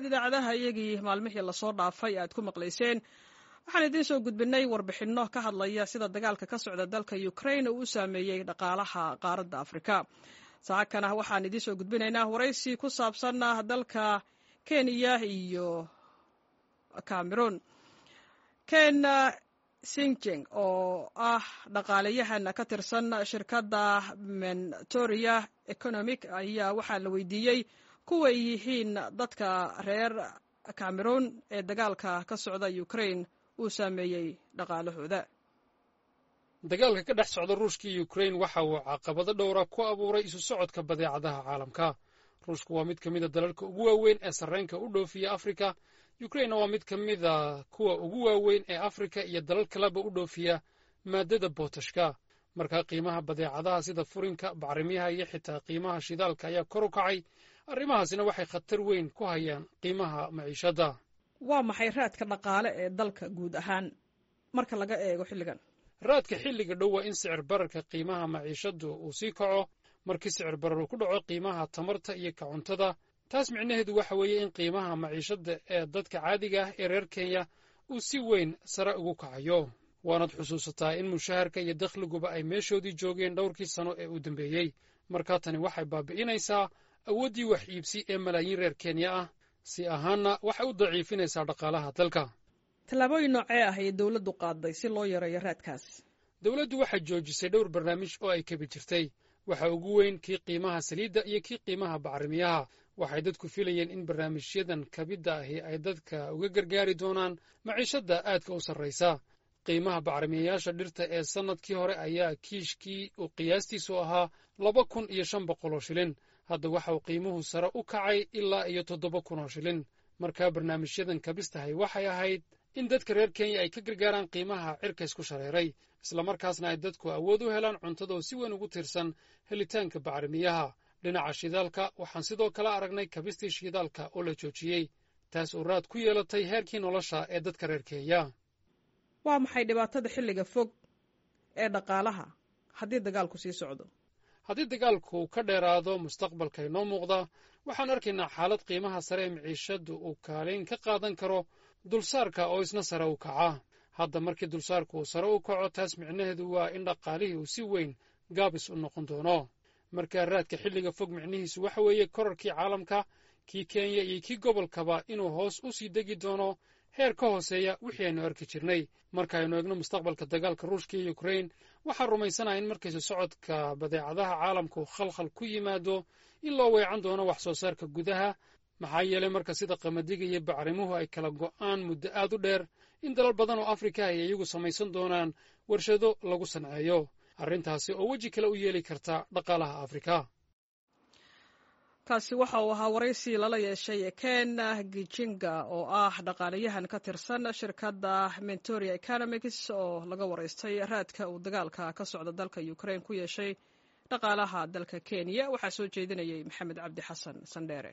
Sidaad idaacadaha iyagii maalmihii lasoo dhaafay aad ku maqlayseen, waxaan idiin soo gudbinay warbixinno ka hadlaya sida dagaalka ka socda dalka Ukrain uu u saameeyey dhaqaalaha qaaradda Afrika. Saakana waxaan idiin soo gudbinaynaa waraysi ku saabsan dalka Kenya iyo Cameroon. Ken Sinjeng oo ah dhaqaalayahan ka tirsan shirkadda Mentoria Economic ayaa waxaa la weydiiyey kuway yihiin dadka reer Cameroon ee dagaalka ka socda Ukrain uu saameeyey dhaqaalahooda. Dagaalka ka dhex socda Ruushka iyo Ukrain waxa uu caqabado dhowra ku abuuray isu socodka badeecadaha caalamka. Ruushku waa mid ka mida dalalka ugu waaweyn ee sarreenka u dhoofiya Afrika. Ukrainna waa mid ka mida kuwa ugu waaweyn ee Afrika iyo dalal kaleba u dhoofiya maaddada bootashka. Markaa qiimaha badeecadaha sida furinka, bacrimiyaha iyo xitaa qiimaha shidaalka ayaa kor u kacay. Arrimahaasina waxay khatar weyn ku hayaan qiimaha maciishadda. Waa maxay raadka dhaqaale ee dalka guud ahaan marka laga eego xilligan? Raadka xilliga dhow waa in sicir bararka qiimaha maciishaddu uu sii kaco. Markii sicir barar uu ku dhaco qiimaha tamarta iyo ka cuntada, taas micnaheedu waxa weeye in qiimaha maciishadda ee dadka caadiga ah ee reer Kenya uu si weyn sare ugu kacayo. Waanaad xusuusataa in mushaharka iyo dakhliguba ay meeshoodii joogeen dhowrkii sano ee uu dambeeyey. Markaa tani waxay baabi'inaysaa awooddii wax iibsi ee malaayiin reer Kenya ah, si ahaanna waxay u daciifinaysaa dhaqaalaha dalka. Tallaabooyin noocee ah ayay dowladdu qaaday si loo yareeyo raadkaas? Dowladdu waxay joojisay dhowr barnaamij oo ay kabi jirtay. Waxa ugu weyn kii qiimaha saliidda iyo kii qiimaha bacrimiyaha. Waxay dadku filayeen in barnaamijyadan kabidda ahi ay dadka uga gargaari doonaan maciishadda aadka u sarraysa. Qiimaha bacrimiyayaasha dhirta ee sannadkii hore ayaa kiishkii uu qiyaastiisu ahaa 2,500 oo shilin. Hadda waxa uu qiimuhu sare u kacay ilaa iyo 7,000 oo shilin. Markaa barnaamijyadan kabistahay waxay ahayd in dadka reer Kenya ay ka gargaaraan qiimaha cirka isku shareeray, islamarkaasna ay dadku awood u helaan cuntada oo si weyn ugu tiirsan helitaanka bacrimiyaha. Dhinaca shidaalka waxaan sidoo kale aragnay kabistii shidaalka oo la joojiyey, taas oo raad ku yeelatay heerkii nolosha ee dadka reer Kenya. Waa maxay dhibaatada xilliga fog ee dhaqaalaha haddii dagaalku sii socdo? Haddii dagaalku ka dheeraado mustaqbalka inoo muuqda, waxaan arkaynaa xaalad qiimaha sare ee maciishaddu uu kaalin ka qaadan karo dulsaarka oo isna sare u kaca. Hadda markii dulsaarku uu sare u kaco, taas micnaheedu waa in dhaqaalihii uu si weyn gaabis u noqon doono. Markaa raadka xilliga fog micnihiisu waxa weeye korarkii caalamka, kii Kenya iyo kii gobolkaba inuu hoos u sii degi doono heer ka hooseeya wixii aynu arki jirnay. Markaaynu eegno mustaqbalka dagaalka Ruushka iyo Ukrain, waxaan rumaysanaha in markaysu socodka badeecadaha caalamku khalkhal ku yimaado in loo weecan doono wax soo saarka gudaha, maxaa yeelay marka sida qamadiga iyo bacrimuhu ay kala go'aan muddo aad u dheer, in dalal badan oo Afrika ay iyagu samaysan doonaan warshado lagu sanceeyo, arrintaasi oo weji kale u yeeli karta dhaqaalaha Afrika. Kaasi waxa uu ahaa waraysi lala yeeshay Ken Gijinga oo ah dhaqaalayahan ka tirsan shirkadda Mentoria Economics oo laga waraystay raadka uu dagaalka ka socda dalka Ukrain ku yeeshay dhaqaalaha dalka Kenya. Waxaa soo jeedinayay Maxamed Cabdi Xasan Sandheere.